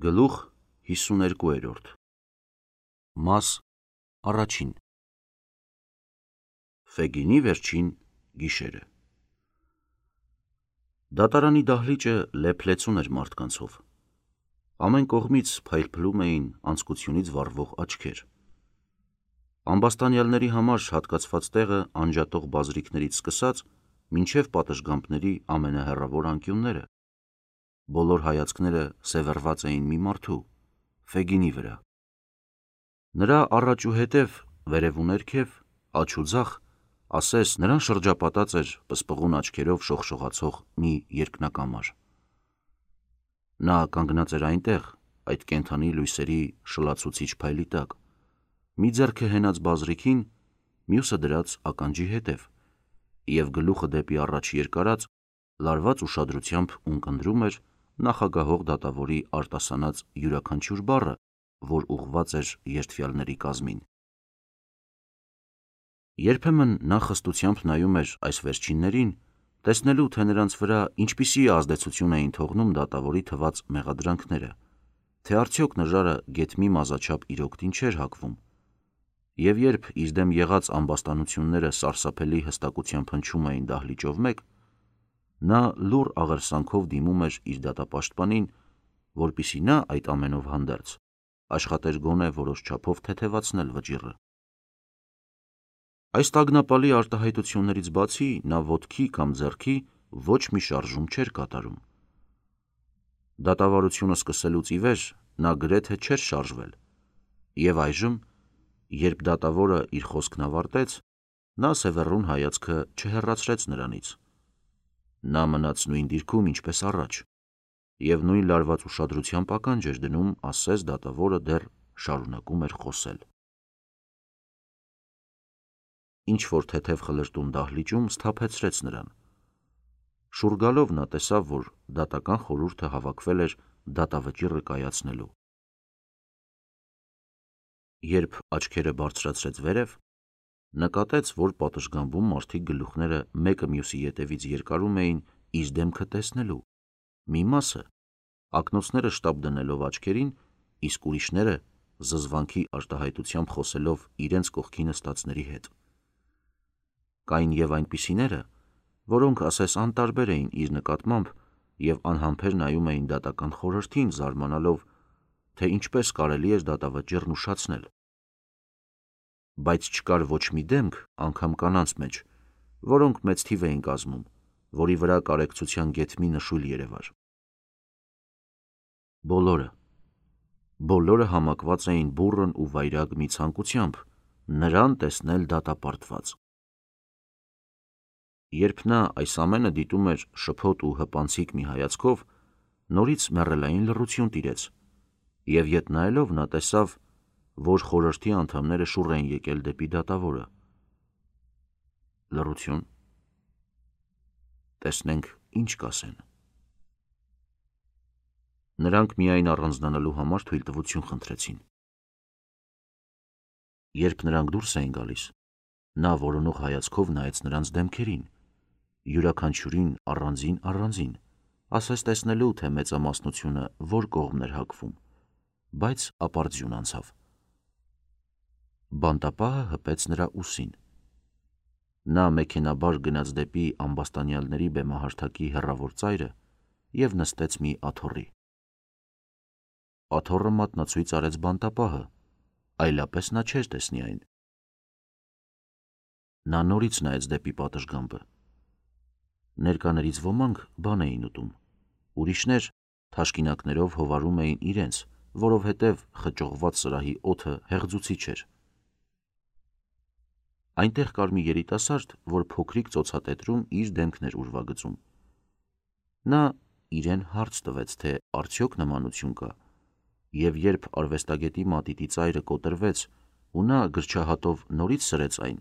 Գլուխ 52 Մաս առաջին Ֆեգինի վերջին գիշերը Դատարանի դահլիճը լեփլեցուն էր մարդկանցով։ Ամեն կողմից փայլփլում էին անձկությունից վառվող աչքեր։ Ամբաստանյալների համար հատկացված տեղը անջատող բազրիքներից սկսած մինչև պատշգամբների ամենահեռավոր անկյունները։ Բոլոր հայացքները սևեռված էին մի մարդու՝ Ֆեգինի վրա։ Նրա առաջ ու հետև, վերև ու ներքև, աջ ու ձախ, ասես նրան շրջապատած էր պսպղուն աչքերով շողշողացող մի երկնակամար։ Նա կանգնած էր այնտեղ, այդ կենդանի լույսերի շլացուցիչ փայլի տակ, մի ձեռքը հենած բազրիքին, մյուսը դրած ականջի հետև, և գլուխը դեպի առաջ երկարած, լարված ուշադրությամբ ունկնդրում էր նախագահող դատավորի արտասանած յուրաքանչյուր բառը, որ ուղղված էր երդվյալների կազմին։ Երբեմն նա խստությամբ նայում էր այս վերջիններին, տեսնելու, թե նրանց վրա ինչպիսի ազդեցություն էին թողնում դատավորի թված մեղադրանքները, թե արդյոք նժարը գեթմի մազաչափ իրոք չէր հագվում, և երբ իր դեմ եղած ամբաստանությունները սարսափելի հստակությամբ հնչում էին դահլիճով մեկ, նա լուռ աղերսանքով դիմում էր իր դատապաշտպանին, որպեսզի նա այդ ամենով հանդերձ աշխատեր գոնե որոշ չափով թեթևացնել վճիռը։ Այս տագնապալի արտահայտություններից բացի նա ոտքի կամ ձեռքի ոչ մի շարժում չէր կատարում։ Դատավարությունը սկսելուց ի վեր նա գրեթե չէր շարժվել, և այժմ, երբ դատավորը իր խոսքն ավարտեց, նա սևեռուն հայացքը չհեռացրեց նրանից։ Նա մնաց նույն դիրքում, ինչպես առաջ, և նույն լարված ուշադրությամբ ականջ էր դնում, ասես դատավորը դեռ շարունակում էր խոսել։ Ինչ-որ թեթև խլրտում դահլիճում սթափեցրեց նրան։ Շուռ գալով նա տեսավ, որ դատական խորհուրդը հավաքվել էր դատավճիռը կայացնելու։ Երբ աչքերը բարձրացրեց վերև, նկատեց, որ պատշգամբում մարդիկ գլուխները մեկը մյուսի ետևից երկարում էին իր դեմքը տեսնելու, մի մասը ակնոցները շտապ դնելով աչքերին, իսկ ուրիշները զզվանքի արտահայտությամբ խոսելով իրենց կողքի նստածների հետ։ Կային և այնպիսիները, որոնք ասես անտարբեր էին իր նկատմամբ և անհամբեր նայում էին դատական խորհրդին, զարմանալով, թե ինչպես կարելի էր դատավճիռն ուշացնել։ Բայց չկար ոչ մի դեմք, անգամ կանանց մեջ, որոնք մեծ թիվ էին կազմում, որի վրա կարեկցության գեթմի նշույլ երևար։ Բոլորը համակված էին բուռն ու վայրագ մի ցանկությամբ՝ նրան տեսնել դատապարտված։ Երբ նա այս ամենը դիտում էր շփոթ ու հպանցիկ մի հայացքով, նորից մեռելային լռություն տիրեց, և ետ նայելով նա տեսավ, որ խորհրդի անդամները շուռ էին եկել դեպի դատավորը։ Լռություն։ Տեսնենք ինչ կասեն։ Նրանք միայն առանձնանալու համար թույլտվություն խնդրեցին։ Երբ նրանք դուրս էին գալիս, նա որոնող հայացքով նայեց նրանց դեմքերին, յուրաքանչյուրին առանձին, ասես տեսնելու, թե մեծամասնությունը որ կողմն էր հակվում, բայց ապարդյուն անցավ։ Բանտապահը հպեց նրա ուսին։ Նա մեքենաբար գնաց դեպի ամբաստանյալների բեմահարթակի հեռավոր ծայրը և նստեց մի աթոռի։ Աթոռը մատնացույց արեց բանտապահը, այլապես նա չէր տեսնի այն։ Նա նորից նայեց դեպի պատշգամբը։ Ներկաներից ոմանք բան էին ուտում, ուրիշներ թաշկինակներով հովարում էին իրենց, որովհետև խճողված սրահի օդը հեղձուցիչ էր։ Այնտեղ կար մի երիտասարդ, որ փոքրիկ ծոցատետրում իր դեմքն էր ուրվագծում։ Նա իրեն հարց տվեց, թե արդյոք նմանություն կա, և երբ արվեստագետի մատիտի ծայրը կոտրվեց ու նա գրչահատով նորից սրեց այն,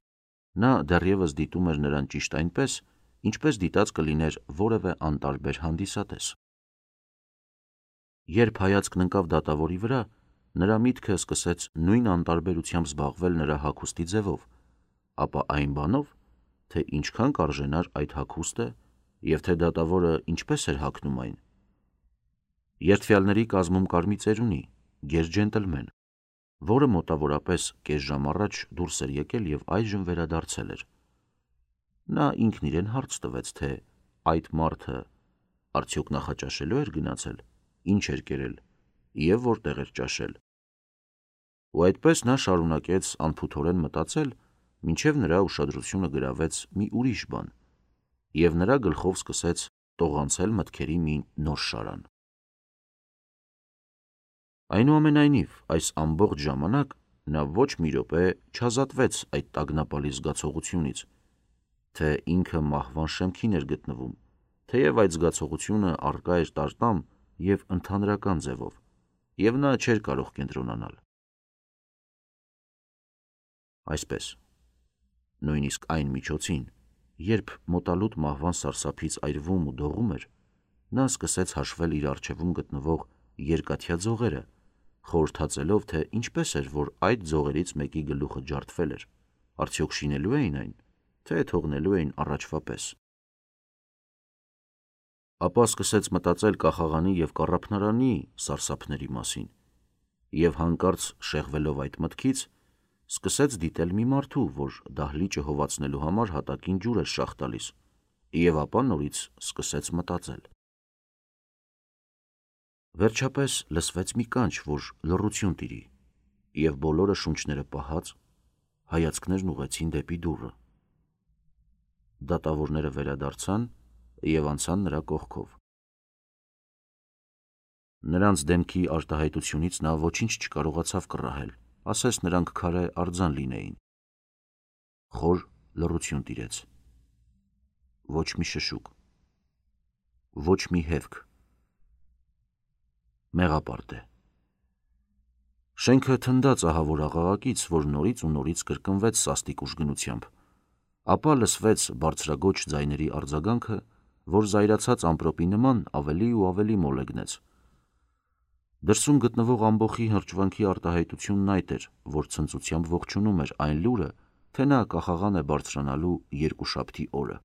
նա դեռևս դիտում էր նրան ճիշտ այնպես, ինչպես դիտած կլիներ որևէ անտարբեր հանդիսատես։ Երբ հայացքն ընկավ դատավորի վրա, նրա միտքը սկսեց նույն անտարբերությամբ զբաղվել նրա հագուստի ձևով, ապա այն բանով, թե ինչքան կարժենար այդ հագուստը և թե դատավորը ինչպես էր հագնում այն։ Երդվյալների կազմում կար մի ծերունի, գեր ջենտլմեն, որը մոտավորապես կես ժամ առաջ դուրս էր եկել և այժմ վերադարձել էր։ Նա ինքն իրեն հարց տվեց, թե այդ մարդը արդյոք նախաճաշելու էր գնացել, ինչ էր կերել և որտեղ էր ճաշել։ Ու այդպես նա շարունակեց անփութորեն մտածել, մինչև նրա ուշադրությունը գրավեց մի ուրիշ բան, և նրա գլխով սկսեց տողանցել մտքերի մի նոր շարան։ Այնուամենայնիվ, այս ամբողջ ժամանակ նա ոչ մի րոպե չազատվեց այդ տագնապալի զգացողությունից, թե ինքը մահվան շեմքին էր գտնվում, թեև այդ զգացողությունը առկա էր տարտամ և ընդհանրական ձևով, և նա չէր կարող կենտրոնանալ։ Այսպես, նույնիսկ այն միջոցին, երբ մոտալուտ մահվան սարսափից այրվում ու դողում էր, նա սկսեց հաշվել իր առջևում գտնվող երկաթյա ձողերը, խորհրդածելով, թե ինչպես էր, որ այդ ձողերից մեկի գլուխը ջարդվել էր, արդյոք շինելու էին այն, թե թողնելու էին առաջվա պես։ Ապա սկսեց մտածել կախաղանի և կառափնարանի սարսափների մասին, և հանկարծ շեղվելով այդ մտքից, սկսեց դիտել մի մարդու, որ դահլիճը հովացնելու համար հատակին ջուր էր շաղ տալիս, և ապա նորից սկսեց մտածել։ Վերջապես լսվեց մի կանչ, որ լռություն տիրի, և բոլորը շունչները պահած, հայացքներն ուղղեցին դեպի դուռը։ Դատավորները վերադարձան և անցան նրա կողքով։ Նրանց դեմքի արտահայտությունից նա ոչինչ չկարողացավ կռահել, ասես նրանք քարե արձան լինեին։ Խոր լռություն տիրեց։ Ոչ մի շշուկ, ոչ մի հևք։ Մեղապարտ է։ Շենքը թնդաց ահավոր աղաղակից, որ նորից ու նորից կրկնվեց սաստիկ ուժգնությամբ, ապա լսվեց բարձրագոչ ձայների արձագանքը, որ զայրացած ամպրոպի նման ավելի ու ավելի մոլեգնեց։ Դրսում գտնվող ամբոխի հրճվանքի արտահայտությունն այդ էր, որ ցնծությամբ ողջունում էր այն լուրը, թե նա կախաղան է բարձրանալու երկուշաբթի օրը։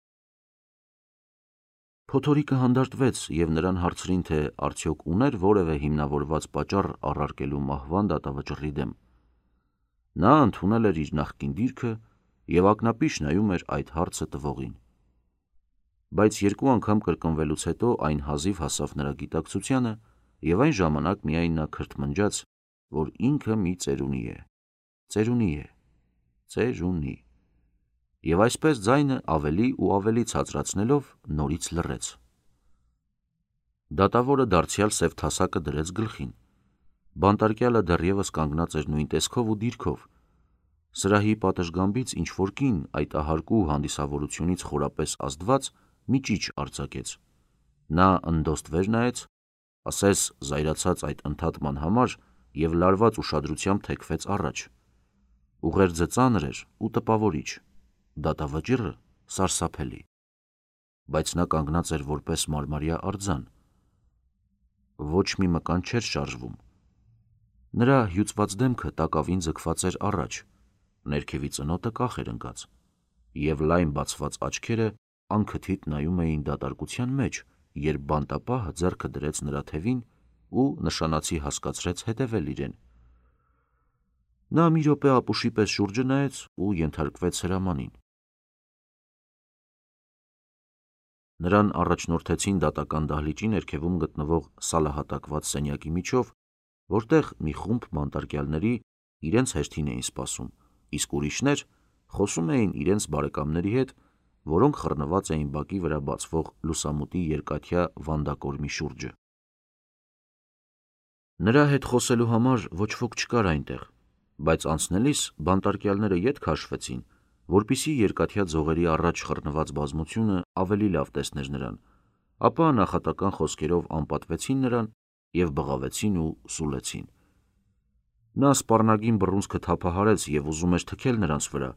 Փոթորիկը հանդարտվեց, և նրան հարցրին, թե արդյոք ուներ որևէ հիմնավորված պատճառ առարկելու մահվան դատավճռի դեմ։ Նա ընդունել էր իր նախկին դիրքը և ակնապիշ նայում էր այդ հարցը տվողին։ Բայց երկու անգամ կրկնվելուց հետո այն հազիվ հասավ նրա գիտակցությանը, և այն ժամանակ միայն նա քրթմնջաց, որ ինքը մի ծերունի է, ծերունի, և այսպես ձայնը ավելի ու ավելի ցածրացնելով նորից լռեց։ Դատավորը դարձյալ սև թասակը դրեց գլխին։ Բանտարկյալը դեռևս կանգնած էր նույն տեսքով ու դիրքով։ Սրահի պատշգամբից ինչ-որ կին այդ ահարկու հանդիսավորությունից խորապես ազդված մի ճիչ արձակեց։ Նա ընդոստ վեր նայեց, ասես զայրացած այդ ընդհատման համար, և լարված ուշադրությամբ թեքվեց առաջ։ Ուղերձը ծանր էր ու տպավորիչ, դատավճիռը սարսափելի, բայց նա կանգնած էր որպես մարմարյա արձան։ Ոչ մի մկան չէր շարժվում։ Նրա հյուծված դեմքը տակավին ձգված էր առաջ, ներքևի ծնոտը կախ էր ընկած, և լայն բացված աչքերը անքթիթ նայում էին դատարկության մեջ, երբ բանտապահը ձեռքը դրեց նրա թևին ու նշանացի հասկացրեց հետևել իրեն։ Նա մի րոպե ապուշի պես շուրջը նայեց ու ենթարկվեց հրամանին։ Նրան առաջնորդեցին դատական դահլիճի ներքևում գտնվող սալահատակված սենյակի միջով, որտեղ մի խումբ բանտարկյալների իրենց հերթին էին սպասում, իսկ ուրիշներ խոսում էին իրենց բարեկամների հետ, որոնք խռնված էին բակի վրա բացվող լուսամուտի երկաթյա վանդակորմի շուրջը։ Նրա հետ խոսելու համար ոչ ոք չկար այնտեղ, բայց անցնելիս բանտարկյալները ետ քաշվեցին, որպեսզի երկաթյա ձողերի առաջ խռնված բազմությունը ավելի լավ տեսներ նրան, ապա նախատական խոսքերով անպատվեցին նրան և բղավեցին ու սուլեցին։ Նա սպառնագին բռունցքը թափահարեց և ուզում էր թքել նրանց վրա,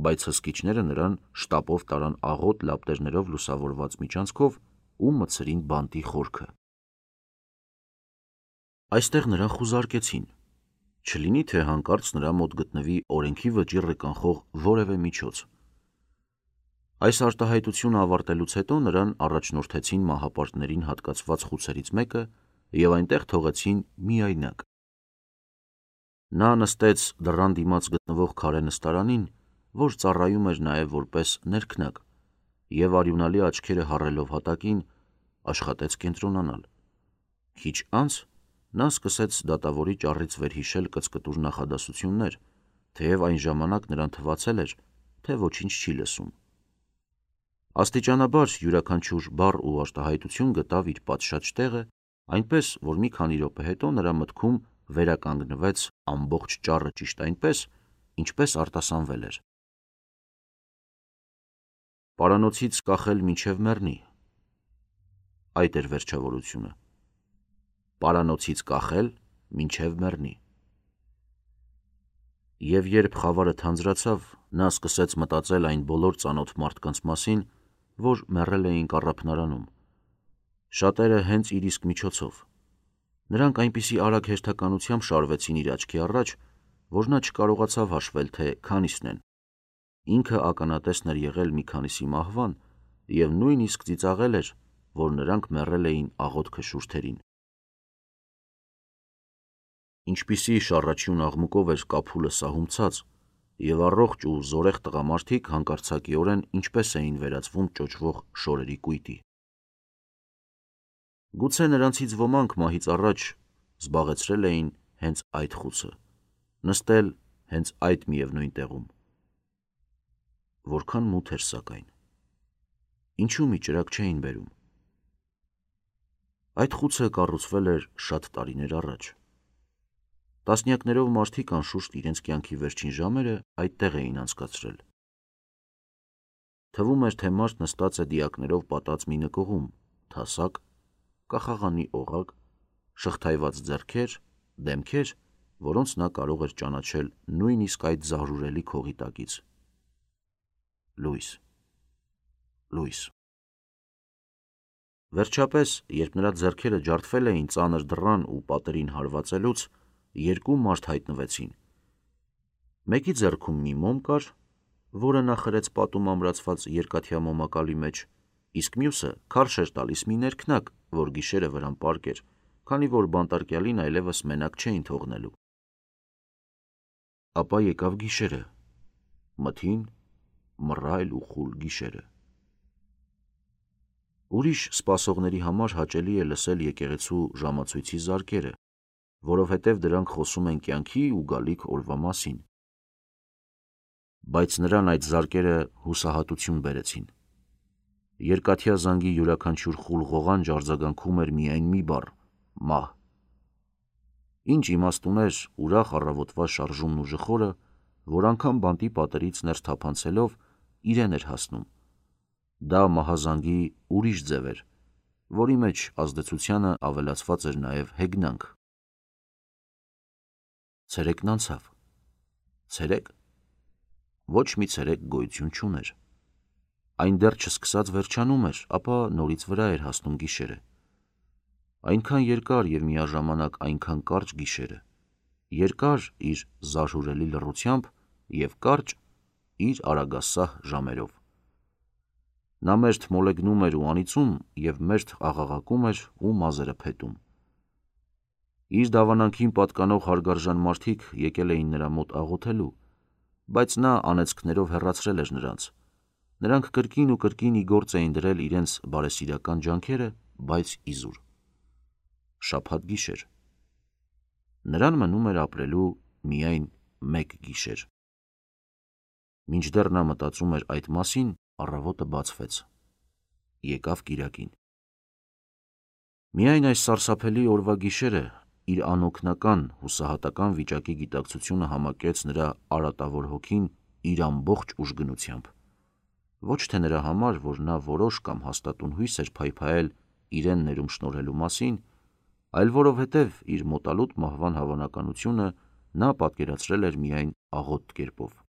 բայց հսկիչները նրան շտապով տարան աղոտ լապտերներով լուսավորված միջանցքով ու մտցրին բանտի խորքը։ Այստեղ նրան խուզարկեցին, չլինի թե հանկարծ նրա մոտ գտնվի օրենքի վճիռը կանխող որևէ միջոց։ Այս արտահայտությունը ավարտելուց հետո նրան առաջնորդեցին մահապարտներին հատկացված խուցերից մեկը և այնտեղ թողեցին միայնակ։ Նա նստեց դռան դիմաց գտնվող քարե նստարանին, որ ծառայում էր նաև որպես ներքնակ, և արյունալի աչքերը հառելով հատակին, աշխատեց կենտրոնանալ։ Քիչ անց նա սկսեց դատավորի ճառից վերհիշել կծկտուր նախադասություններ, թեև այն ժամանակ նրան թվացել էր, թե ոչինչ չի լսում։ Աստիճանաբար յուրաքանչյուր բառ ու արտահայտություն գտավ իր պատշաճ տեղը, այնպես, որ մի քանի րոպե հետո նրա մտքում վերականգնվեց ամբողջ ճառը ճիշտ այնպես, ինչպես արտասանվել էր։ Պարանոցից կախել մինչև մեռնի։ Այդ էր վերջավորությունը։ Պարանոցից կախել մինչև մեռնի։ Եվ երբ խավարը թանձրացավ, նա սկսեց մտածել այն բոլոր ծանոթ մարդկանց մասին, որ մեռել էին կառափնարանում։ Շատերը հենց իր իսկ միջոցով։ Նրանք այնպիսի արագ հերթականությամբ շարվեցին իր աչքի առաջ, որ նա չկարողացավ հաշվել, թե քանիսն են։ Ինքը ականատեսն էր եղել մի քանիսի մահվան և նույնիսկ ծիծաղել էր, որ նրանք մեռել էին աղոթքը շուրթերին։ Ինչպիսի շառաչյուն աղմուկով էր կափուլը սահումցած, և առողջ ու զորեղ տղամարդիկ հանկարծակիորեն ինչպես էին վերածվում ճոճվող շորերի կույտի։ Գուցե նրանցից ոմանք մահից առաջ զբաղեցրել էին հենց այդ խուցը, նստել հենց այդ միևնույն տեղում։ Որքան մութ էր սակայն։ Ինչու մի ճրագ չէին բերում։ Այդ խուցը կառուցվել էր շատ տարիներ առաջ։ Տասնյակներով մարդիկ անշուշտ իրենց կյանքի վերջին ժամերը այդտեղ էին անցկացրել։ Թվում էր, թե մարդ նստած է դիակներով պատած մի նկուղում, թասակ, կախաղանի օղակ, շղթայված ձեռքեր, դեմքեր, որոնց նա կարող էր ճանաչել նույնիսկ այդ զարհուրելի քողի տակից։ Լույս, լույս։ Վերջապես, երբ նրա ձեռքերը ջարդվել էին ծանր դռան ու պատերին հարվածելուց, երկու մարդ հայտնվեցին։ Մեկի ձեռքում մի մոմ կար, որը նա խրեց պատում ամրացված երկաթյա մոմակալի մեջ, իսկ մյուսը քարշ էր տալիս մի ներքնակ, որ գիշերը վրան պառկեր, քանի որ բանտարկյալին այլևս մենակ չէին թողնելու։ Ապա եկավ գիշերը, մթին, մռայլ ու խուլ գիշերը։ Ուրիշ սպասողների համար հաճելի է լսել եկեղեցու ժամացույցի զարկերը, որովհետև դրանք խոսում են կյանքի ու գալիք օրվա մասին։ Բայց նրան այդ զարկերը հուսահատություն բերեցին։ Երկաթյա զանգի յուրաքանչյուր խուլ ղողանջ արձագանքում էր միայն մի բառ՝ մահ։ Ինչ իմաստ ուներ ուրախ առավոտվա շարժումն ու ժխորը, որ անգամ բանտի պատերից ներս թափանցելով իրեն էր հասնում։ Դա մահազանգի ուրիշ ձև էր, որի մեջ ազդեցությանը ավելացված էր նաև հեգնանք։ Ցերեկն անցավ։ Ցերեկ։ Ոչ մի ցերեկ գոյություն չուներ։ Այն դեռ չսկսած վերջանում էր, ապա նորից վրա էր հասնում գիշերը։ Այնքան երկար և միաժամանակ այնքան կարճ գիշերը, երկար իր զարհուրելի լռությամբ և կարճ իր արագասահ ժամերով։ Նա մերթ մոլեգնում էր ու անիծում և մերթ աղաղակում էր ու մազերը փետում։ Իր դավանանքին պատկանող հարգարժան մարդիկ եկել էին նրա մոտ աղոթելու, բայց նա անեծքներով հեռացրել էր նրանց։ Նրանք կրկին ու կրկին ի գործ էին դրել իրենց բարեսիրական ջանքերը, բայց իզուր։ Շաբաթ գիշեր։ Նրան մնում էր ապրելու միայն մեկ գիշեր։ Մինչդեռ նա մտածում էր այդ մասին, առավոտը բացվեց։ Եկավ կիրակին։ Միայն այս սարսափելի օրվա գիշերը իր անօգնական, հուսահատական վիճակի գիտակցությունը համակեց նրա արատավոր հոգին իր ամբողջ ուժգնությամբ։ Ոչ թե նրա համար, որ նա որոշ կամ հաստատուն հույս էր փայփայել իրեն ներում շնորհելու մասին, այլ որովհետև իր մոտալուտ մահվան հավանականությունը նա պատկերացրել էր միայն աղոտ կերպով։